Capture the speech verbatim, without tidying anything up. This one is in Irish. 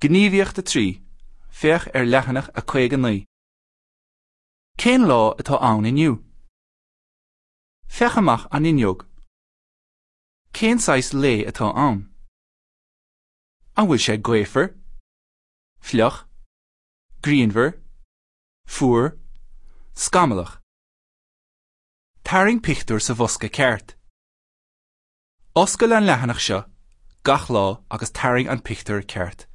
Gníomhaíocht a trí, féach ar leathanach a caoga naoi. Cén lá atá ann inniu? Féach amach an fhuinneog. Cén saghas lae atá ann? An bhfuil sé gaofar? Fliuch? Grianmhar? Fuar? Scamallach? Tarraing pictiúr sa bhosca ceart. Oscail an leathanach seo gach lá agus tarraing an pictiúr ceart.